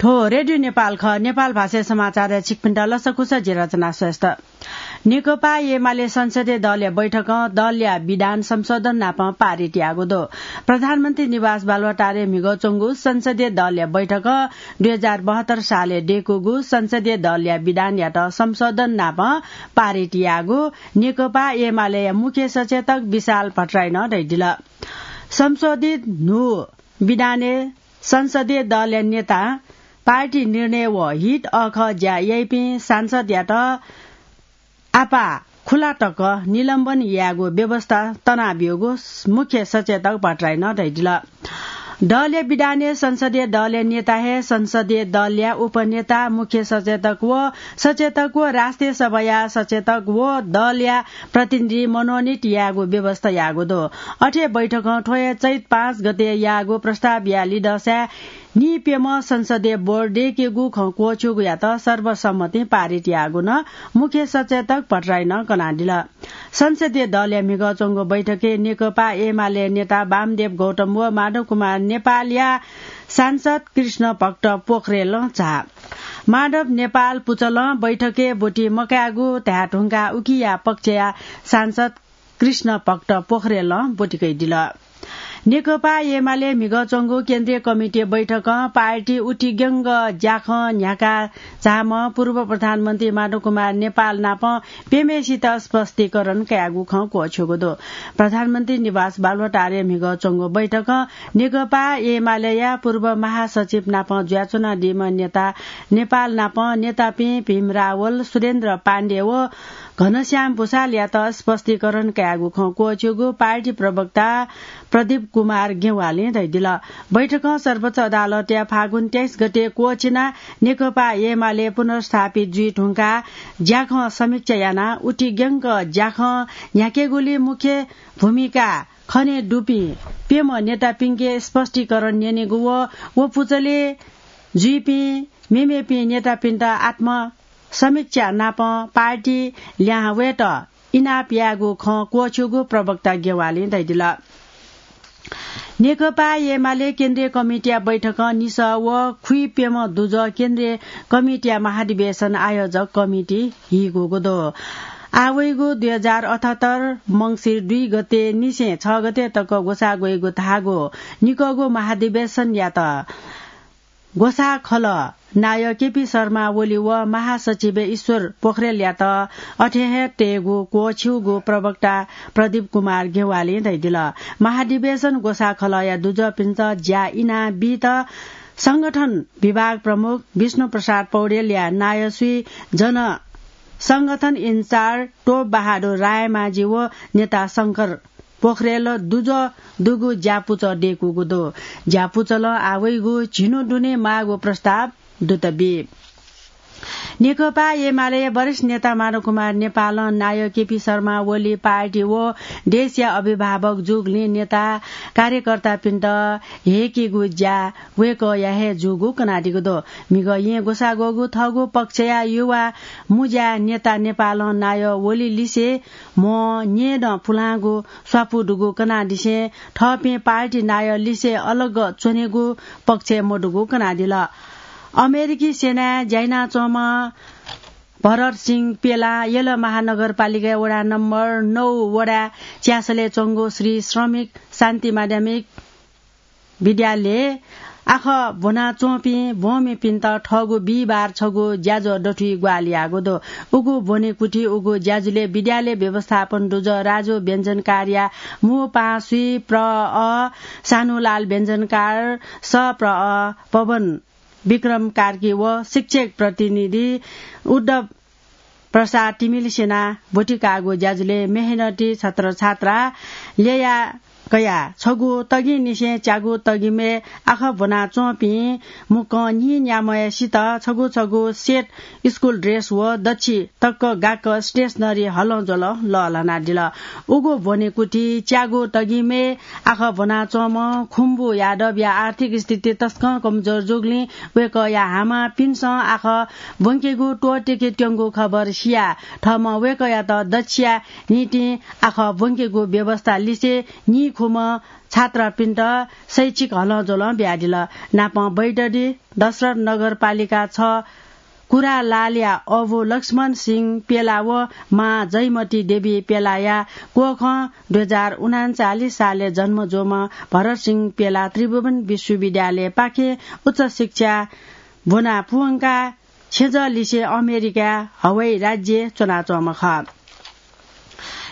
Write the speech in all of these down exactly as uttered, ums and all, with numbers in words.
थ्व रेडियो नेपाल खः। नेपाल भाषाया समाचारय् छिकपिन्त लसकुस, जि रचना श्रेष्ठ। नेकपा एमाले संसदीय दलया बैठकं दलया विधान संशोधन नाप पारित याःगु दु। प्रधानमन्त्री निवास बालुवाटारय् म्हिगः च्वंगु संसदीय दलया बैठकं दुई हजार बहत्तर सालय् दय्कूगु संसदीय दलया विधानयात संशोधन नाप पारित याःगु नेकपा एमालेया मुख्य सचेतक विशाल भट्टराईं धयादिल। संशोधित न्हू विधानय् संसदीय दलया नेता, पार्टी निर्णय व हित अःखः ज्या याइपिं सांसदयात आपाः खुला तक निलम्बन यायेगु व्यवस्था तनाब्यूगु मुख्य सचेतक भट्टराईं धयादिल। दलया विधानय् संसदीय दलया नेता हे संसदीय दलया उपनेता, मुख्य सचेतक व सचेतक व राष्ट्रिय सभाया सचेतक व दलया प्रतिनिधि मनोनित यायेगु व्यवस्था याःगु दु। अथे बैठकं थ्व हे चैत पाँच गते याःगु प्रस्तावया लिधंसाय् निप्यम्ह संसदीय बोर्ड दय्केगु खँ क्वःछ्यूगुयात सर्वसम्मतिं पारित याःगु नं मुख्य सचेतक भट्टराईं कनादिल। संसदीय दलया म्हिगः च्वंगु बैठकय् नेकपा एमाले नेता वामदेव गौतम व माधव कुमार नेपालया सांसद कृष्ण भक्त पोखरेलं झाः। माधव नेपाल पुचलं बैठकय् ब्वति मकायेगु धाये धुंकाः उकिया पक्षया सांसद कृष्ण भक्त पोखरेलं ब्वति कयादिल। नेकपा एमाले म्हिगः च्वंगु केन्द्रीय कमिटी बैठकं पार्टी उतिग्यंक ज्याखँ न्ह्याका झाःम्ह पूर्व प्रधानमन्त्री माधव कुमार नेपाल नाप प्यम्हेसित स्पष्टीकरण कयागु खँ क्वःछ्यूगु दु। प्रधानमन्त्री निवास बालुवाटारय् म्हिगः च्वंगु बैठकं नेकपा एमालेया पूर्व महासचिव नाप जुयाच्वनादीम्ह नेता नेपाल नाप नेतापिं भीम रावल, सुरेन्द्र पाण्डे व घनश्याम भुसालयात स्पष्टीकरण कयागु खँ क्वःछ्यूगु पार्टी प्रवक्ता प्रदीप कुमार गेवालीं धयादिल। बैठकं सर्वोच्च अदालतया फागुन तेइस गते क्वःछिना नेकपा एमाले पुनर्स्थापित जुइ धुंकाः ज्याखँ समीक्षा यानाः उतिग्यंक ज्याखँ न्ह्याकेगुली मुख्य भूमिका खने दुपिं प्यम्ह नेतापिंके स्पष्टीकरण न्यनेगु व व पुचलय् जुइपिं मेमेपिं नेतापिन्त आत्म समीक्षा नाप पार्टी ल्याहां वयेत इनाप यायेगु खँ क्वःछ्यूगु प्रवक्ता गेवालीं धयादिल। नेकपा एमाले केन्द्रीय कमिटीया बैठकं निसः व खुइप्यम्ह दुजः केन्द्रीय कमिटीया महाधिवेशन आयोजक कमिटी हीगूगु दु। आः वइगु दुई हजार अठहत्तर मंसिर दुई गते निसें छ गते तक ग्वसाः ग्वइगु धाःगु निकःगु महाधिवेशनयात ग्वसाः खलः नायः केपी शर्मा ओली व महासचिव ईश्वर पोखरेलयात अथे हे तयेगु क्वःछ्यूगु प्रवक्ता प्रदीप कुमार गेवालीं धयादिल। महाधिवेशन ग्वसाः खलःया दुजःपिन्त ज्या इनाबीत संगठन विभाग प्रमुख विष्णु प्रसाद पौडेलया नायः स्वीजन, संगठन इन्चार्ज टोप बहादुर रायमाझी व नेता शंकर पोखरेल दुजः दुगु ज्यापुचः दय्कूगु दु। ज्यापुचलं आः वइगु झिन्हु दुने माःगु प्रस्ताव दुत बी। नेकपा एमाले वरिष्ठ नेता माधव कुमार नेपालं नायः केपी शर्मा ओली पार्टी व देशया अभिभावक जूगुलिं नेता कार्यकर्तापिन्त हेयेकेगु ज्या वय्कःया हे जूगु कनादीगु दु। म्हिगः येँ ग्वसाः ग्वःगु थःगु पक्षया युवा मुज्या नेता नेपालं नायः ओली लिसे म्ह न्येदँ पुलांगु स्वापू दुगु कनादिसें थःपिं पार्टी नायः लिसे अलग च्वनेगु पक्षय् मदुगु कनादिल। अमेरिकी सेनाय् ज्या यानाच्वंम्ह भरत सिंह पेलां यल महानगरपालिकाया वडा नम्बर नौ वडा च्यासलय् च्वंगु श्री श्रमिक शान्ति माध्यमिक विद्यालयय् आखः ब्वनाच्वंपिं ब्वंमिपिन्त थःगु बिहिबार छगू ज्याझ्वः दथुइ ग्वाहालि याःगु दु। उगु ब्वनेकुथि उगु ज्याझ्वलय् विद्यालय व्यवस्थापन दुजः राजु व्यञ्जनकारया मू पाहां स्वीप प्र अ, सानुलाल व्यञ्जनकार स प्र अ, पवन विक्रम कार्की व शिक्षक प्रतिनिधि उद्धव प्रसाद तिमिल सेनां ब्वति काःगु ज्याझ्वलय् मेहनती छात्र छात्रा ल्यया कयाः छगू तगिंनिसें च्यागू तगिमय् आखः ब्वनाच्वंपिं मुक्कं न्हिं न्याम्हय्सित छगू छगू सेट स्कुल ड्रेस व दच्छि तक गाक्क स्टेसनरी हलंज्वलं लःल्हानादिल। उगु ब्वनेकुथि च्यागू तगिमय् आखः ब्वनाच्वंम्ह खुम्बु यादवया आर्थिक स्थिति तसकं कमजोर जूगुलिं वय्कःया हामांपिन्सं आखः ब्वंकेगु त्वःतेके त्यंगु खबर सियाः थःम्हं वय्कःयात दच्छिया निंतिं आखः ब्वंकेगु व्यवस्था लिसे न्हि गुम्ह छात्रपिन्त शैक्षिक हलंज्वलं बियादिल। नापं बैतडी दशरथ नगरपालिका छ कुरालालया अबु लक्ष्मण सिंह पेला व मां जयमती देवी पेलाया कोखं दुई हजार उनान्चालिस सालय् जन्म जूम्ह भरत सिंह पेला त्रिभुवन विश्वविद्यालयपाखें उच्च शिक्षा ब्वना पुवंकाः छेँजःलिसे अमेरिका हवाई राज्यय् च्वनाच्वंम्ह खः।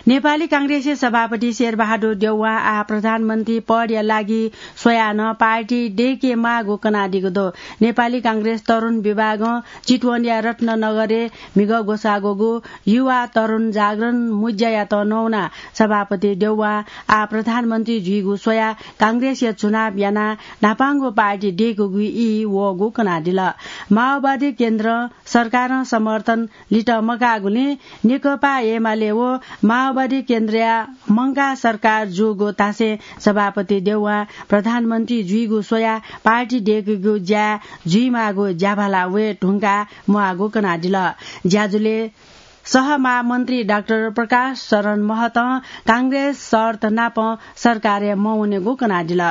नेपाली कांग्रेसया सभापति शेरबहादुर देउवां आः प्रधानमन्त्री पदया लागि स्वयाः नं पार्टी दय्केमाःगु कनादीगु दु। नेपाली कांग्रेस तरुण विभागं चितवनया रत्ननगरय् म्हिगः ग्वसाःग्वःगु युवा तरुण जागरण मुँज्यायात नवानाः सभापति देउवां आः प्रधानमन्त्री जुइगु स्वयाः कांग्रेसया चुनाव यानाः न्हापांगु पार्टी दय्केगु ई वःगु कनादिल। माओवादी केन्द्रं सरकारं समर्थन लित मकाःगुलिं नेकपा एमाले व माओवादी केन्द्रया मंकाः सरकार जूगु धासें सभापति देउवां प्रधानमन्त्री जुइगु स्वयाः पार्टी दय्केगु ज्या जुइमाःगु ज्याभाला वये धुंकाः म्वाःगु कनादिल। ज्याझ्वलय् सहमहामन्त्री डाक्टर प्रकाश शरण महतं कांग्रेस शर्त नाप सरकारय् मवनेगु कनादिल।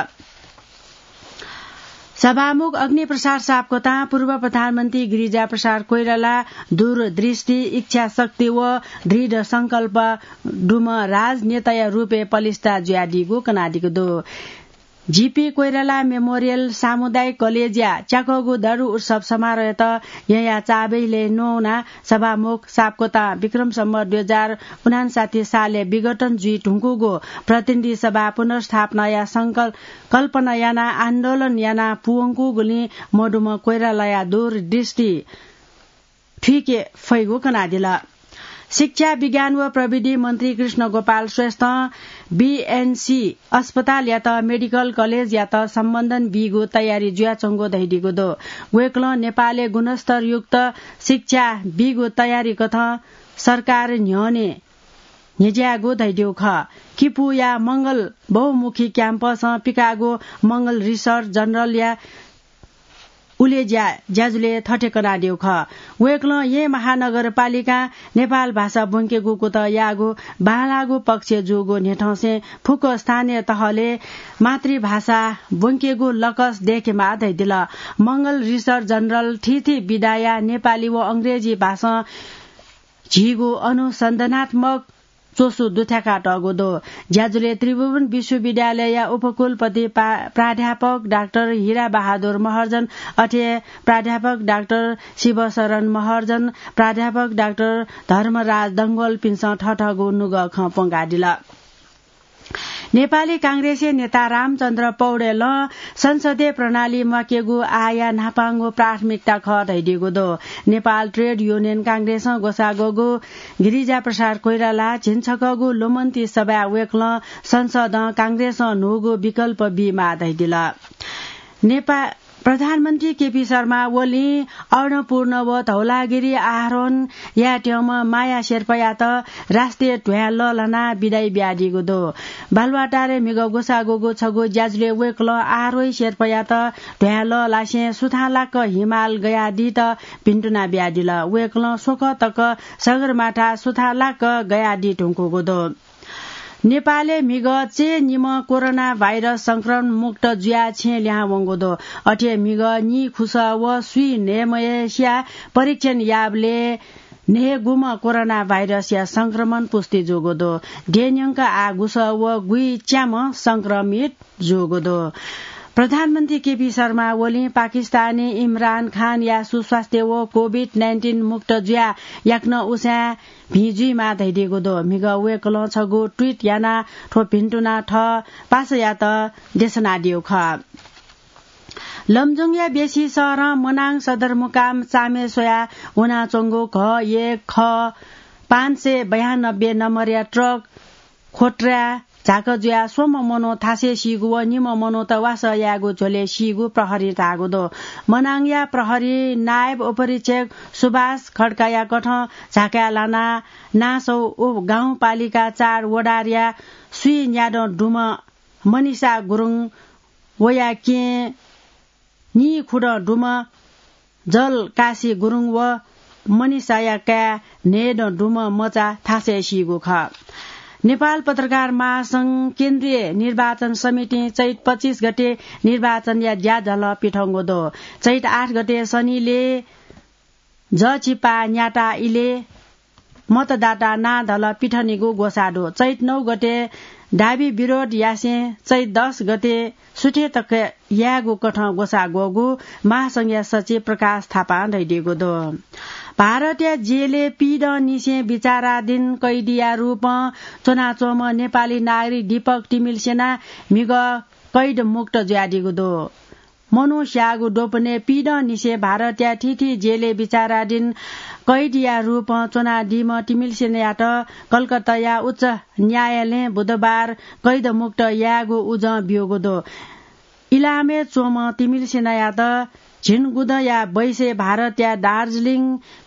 सभामुख अग्निप्रसाद सापकोतां पूर्व प्रधानमन्त्री गिरिजाप्रसाद कोइराला दूरदृष्टि, इच्छाशक्ति व दृढ संकल्प दुम्ह राजनेताया रूपय् पलिस्था जुयादीगु कनादीगु दु। जीपी कोइराला मेमोरियल सामुदायिक कलेजया च्याकःगु दरु उत्सव समारोहयात यँया चाबय् ल्यये नवानाः सभामुख सापकोतां विक्रम सम्वत दुई हजार उनान्साठी सालय् विघटन जुइ धुंकूगु प्रतिनिधि सभा पुनर्स्थापनाया संकल्प कल्पना यानाः आन्दोलन याना पुवंकूगुलिं मदुम्ह कोइरालाया दूरदृष्टि थुइके फइगु कनादिल। शिक्षा, विज्ञान व प्रविधि मन्त्री कृष्ण गोपाल श्रेष्ठं बीएनसी अस्पतालयात मेडिकल कलेजयात सम्बन्धन बीगु तयारी जुयाच्वंगु धयादीगु दु। वय्कलं नेपालय् गुणस्तरयुक्त शिक्षा बीगु तयारी कथं सरकार न्ह्यःने न्ह्यज्याःगु धयादीगु खः। किपूया मंगल बहुमुखी क्याम्पसं पिकाःगु मंगल रिसर्च जर्नलया उलेज्या ज्याझ्वलय् थथे कनादीगु खः। वय्कलं येँ महानगरपालिकां नेपाल भाषा ब्वंकेगु कुतः याःगु बांलाःगु पक्ष जूगु न्ह्यथंसें फुक्क स्थानीय तहलय् मातृभाषा ब्वंकेगु लकस दय्केमाः धयादिल। मंगल रिसर्च जर्नल थीथी विधाया नेपाली व अंग्रेजी भाषां झीगु अनुसन्धानात्मक च्वसु दुथ्याकातःगु दु। ज्याझ्वलय् त्रिभुवन विश्वविद्यालयया उपकुलपति पा-, प्राध्यापक डाक्टर हिरा बहादुर महर्जन, अथे प्राध्यापक डाक्टर शिवशरण महर्जन, प्राध्यापक डाक्टर धर्मराज डंगोलपिन्सं थथःगु नुगः खँ प्वंकादिल। नेपाली कांग्रेसया नेता रामचन्द्र पौडेलं संसदीय प्रणाली म्वाकेगु आःया न्हापांगु प्राथमिकता खः धयादीगु दु। नेपाल ट्रेड युनियन कांग्रेसं ग्वसाःग्वःगु गिरिजाप्रसाद कोइराला झिंछकःगु लुमन्ती सभाय् वय्कलं संसदं कांग्रेसं न्हूगु विकल्प बीमाः धयादिल। नेपा-, प्रधानमन्त्री केपी शर्मा ओलीं अन्नपूर्ण व धौलागिरी आरोहण यायेत्यंम्ह माया शेर्पायात राष्ट्रिय ध्वाँय् लःल्हानाः बिदाइ बियादीगु दु। बालुवाटारय् म्हिगः ग्वसाःग्वःगु छगू ज्याझ्वलय् वय्कलं आरोही शेर्पायात ध्वाँय् लःल्हासें सुथांलाक्क हिमाल गयादीत भिन्तुना बियादिल। वय्कलं स्वकः तक सगरमाथा सुथांलाक्क गयादी धुंकूगु दु। नेपालय् म्हिगः चय्निम्ह कोरोना भाइरस संक्रमण मुक्त जुयाः छेँ लिहां वंगु दु। अथे म्हिगः नीखुसः व स्वीन्हय्म्हय्सिया परीक्षण याःबलय् न्हय्गुम्ह कोरोना भाइरसया संक्रमण पुष्टि जूगु दु। देय्न्यंक आः गुसः व गुइच्याम्ह संक्रमित जूगु दु। प्रधानमन्त्री केपी शर्मा ओलीं पाकिस्तानी इमरान खानया सुस्वास्थ्य व कोभिड नाइन्टिन मुक्त जुयाः याकनं उसाँय् भिं जुइमाः धयादीगु दु। म्हिगः वय्कलं छगू ट्विट यानाः थ्व भिन्तुना थः पासायात देछानादीगु खः। लमजुङया बेसी शहरं मनाङ सदरमुकाम चामे स्वयाः वनाच्वंगु घ एक ख पाँच सय बयानब्बे नम्बरया ट्रक ख्वट्रा झाक जुयाः स्वम्ह मनू थासय् सीगु व निम्ह मनूत वासः यायेगु झ्वलय् सीगु प्रहरीं धाःगु दु। मनाङया प्रहरी नायब उपरीक्षक सुभाष खड्काया कथं झाकाय् लानाः नासौ उ गाउँपालिका चार वडारया स्वीन्यादँ दुम्ह मनिषा गुरुङ, वया केहेँ नीखुदँ दुम्ह जलकाशी गुरुङ व मनिषाया काय् न्हय्दँ दुम्ह मचा थासय् सीगु खः। नेपाल पत्रकार महासंघ केन्द्रीय निर्वाचन समितिं चैत पच्चिस गते निर्वाचनया ज्याझ्वलय् पिथंगु दु। चैत आठ गते शनिले जःचिपा न्याता इले मतदाता नां धल पिथनेगु ग्वसाः दु। चैत नौ गते दाबी विरोध यासें चैत दस गते सुथे तक यायेगु कथं ग्वसाः ग्वःगु महासंघया सचिव प्रकाश थापां धयादीगु दु। भारतया जेलय् पीदँनिसें विचाराधीन कैदीया रूपं च्वनाच्वंम्ह नेपाली नागरिक दीपक तिमिल्सिना म्हिगः कैद मुक्त जुयादीगु दु। मनू स्याःगु द्वपनय् पीदँनिसें भारतया थीथी जेलय् विचाराधीन कैदीया रूपं च्वनादीम्ह तिमिल्सिनायात कलकत्ताया उच्च न्यायालयं बुधबार कैद मुक्त यायेगु उजं ब्यूगु दु। इलामय् च्वंम्ह तिमिल्सिनायात झिंगुदँया बैसय् भारतया दार्जिलिङ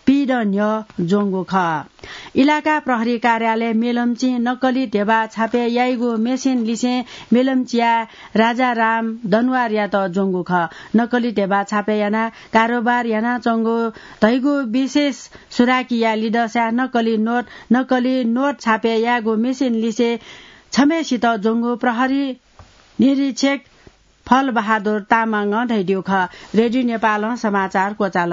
पीदँ न्ह्यः ज्वंगु खः। इलाका प्रहरी कार्यालय मेलम्चीं नक्कली ध्यबा छापय् याइगु मेसिन लिसें मेलम्चीया राजाराम दनवारयात ज्वंगु खः। नक्कली ध्यबा छापय् यानाः कारोबार यानाच्वंगु धइगु विशेष सुराकीया लिदँसाय् नक्कली नोट, नक्कली नोट छापय् यायेगु मेसिन लिसें छम्हेसित ज्वंगु प्रहरी निरीक्षक फलबहादुर तामाङं धयादीगु खः। रेडियो नेपालं समाचार क्वचाल।